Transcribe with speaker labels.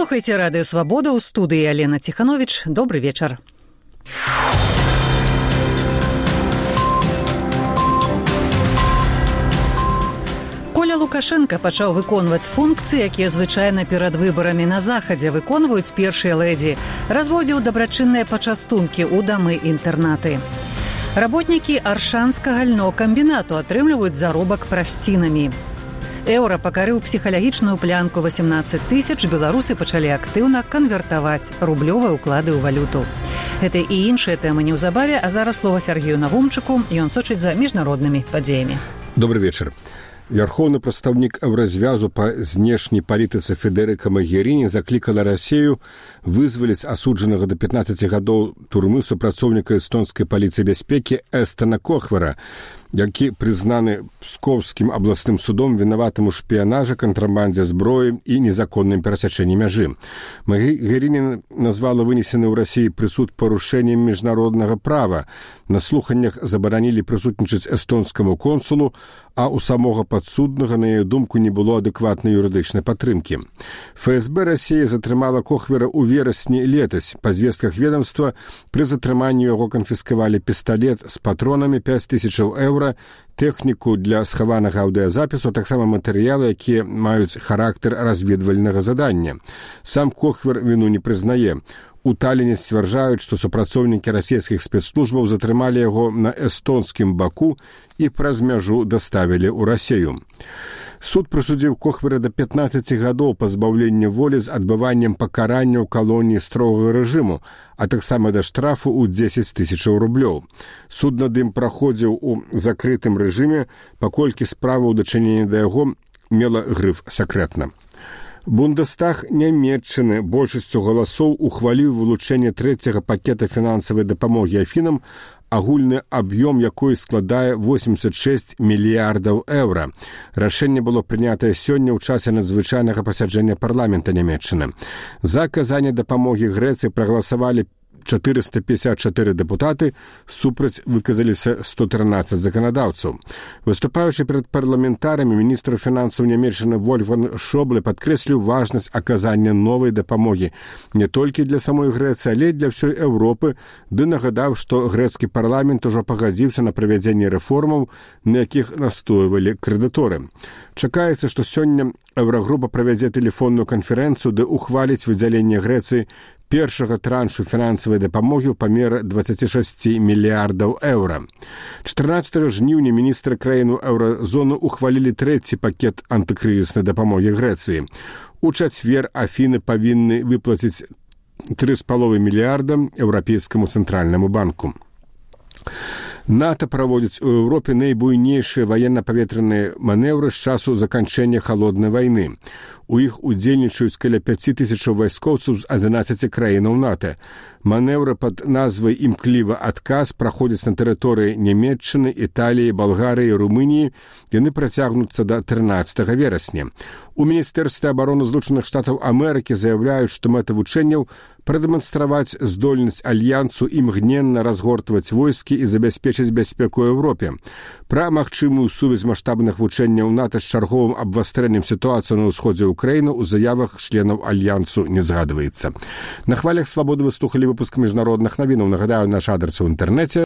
Speaker 1: Слухайте радыё «Свабода», у студыі Алена Ціхановіч. Добры вечар. Коля Лукашенко пачаў выконваць функцыі, якія звычайна перад выбарамі на захадзе выконваюць першыя лэдзі. Разводзіў дабрачынныя пачастункі ў дамы-інтэрнаты. Работнікі Аршанскага льнокамбінату атрымліваюць заробак прасцінамі. Еўра пакарыў псіхалагічную плянку 18 тысяч, беларусы пачалі актыўна канвертаваць рублёвыя ўклады ў валюту. Гэта і іншыя тэмы неўзабаве, а зараз слова Сергею Навумчыку, ён сочыць за міжнароднымі падзеямі.
Speaker 2: Добрый вечар. Вярхоўны прадстаўнік Еўразвязу па знешняй палітыцы Федэрыка Магеріні заклікала Расею вызваліць асуджанага да 15 гадоў турмы супрацоўніка эстонскай паліцыі бяспекі Эстона Кохвера, які прызнаны Псковскім абласным судом вінаватым у шпіянажы, кантрабандзе зброі і незаконным перасячэнні мяжы. Магеріні назвала вынесены ў Расіі прысуд парушэннем міжнароднага права. На слуханнях забаранілі прысутнічаць эстонскаму консулу, а ў самога падсуднага, на яе думку, не было адэкватнай юрыдычнай падтрымкі. ФСБ Расіі затрымала Кохвера ў верасні летась. Па звестках ведомства, пры затрыманні яго канфіскавалі пісталет з патронамі 5000 еўра, тэхніку для схаванага аўдыязапісу, таксама матэрыялы, якія маюць характар разведвальнага задання. Сам Кохвер віну не прызнае. У Таліне сцвярджаюць, што супрацоўнікі расійскіх спецслужбаў затрымалі яго на эстонскім баку і праз мяжу даставілі ў Расію. Суд прысудзіў Кохвера да 15 гадоў пазбаўлення волі з адбываннем пакарання ў калоніі строгага рэжыму, а таксама да штрафу ў 10 тысячаў рублёў. Суд над ім праходзіў у закрытым рэжыме, паколькі справа ў дачыненні да яго мела грыф «сакрэтна». Бундестаг Нямецчыны большасцю галасоў ухваліў вылучэнне трэцяга пакета фінансавай дапамогі Афінам, агульны аб'ём якой складае 86 мільярдаў еўра. Рашэнне было прынятае сёння ў часе надзвычайнага пасяджэння парламента Нямецчыны. За аказанне дапамогі Грэцыі прагаласавалі 454 дэпутаты, супраць выказаліся 113 заканадаўцаў. Выступаючы перад парламентарамі, міністр фінансаў Нямецчыны Вольфганг Шобле падкрэсліў важнасць аказання новай дапамогі не толькі для самой Грэцыі, але і для ўсёй Еўропы, ды нагадаў, што грэцкі парламент ужо пагадзіўся на правядзенне рэформаў, на якіх настойвалі крэдыторы. Чакаецца, што сёння Еўрагрупа правядзе тэлефонную канферэнцыю, ды ухваліць выдзяленне Грэцыі першага траншу фінансавай дапамогі ў памеры 26 мільярдаў еўра. 14 жніўня міністры краін еўразоны ухвалілі трэці пакет антыкрызіснай дапамогі Грэцыі. У чацвер Афіны павінны выплаціць 3,5 мільярда Еўрапейскаму цэнтральнаму банку. НАТО праводзіць у Еўропе найбуйнейшыя ваенна-паветраныя манеўры з часу заканчэння халоднай вайны. У іх удзельнічаюць каля 5000 вайскоўцаў з 11 краінаў НАТО. Манеўры пад назвай «Імклівы адказ» праходзяць на тэрыторыі Нямецчыны, Італіі, Балгарыі, Румыніі. Яны працягнуцца да 13 верасня. У Міністэрстве абароны Злучаных Штатаў Амерыкі заяўляюць, што мэта вучэнняў прадэманстраваць здольнасць альянсу імгненна разгортваць войскі і забяспечыць бяспеку ў Еўропе. Пра магчымую сувязь маштабных вучэнняў НАТО з чарговым абвастрэннем сітуацыі на ўсходзе Украіны ў заявах членаў альянсу не згадваецца. На хвалях «Свабоды» вы слухалі выпуск міжнародных навінаў. Нагадаю, наш адрес у інтэрнэце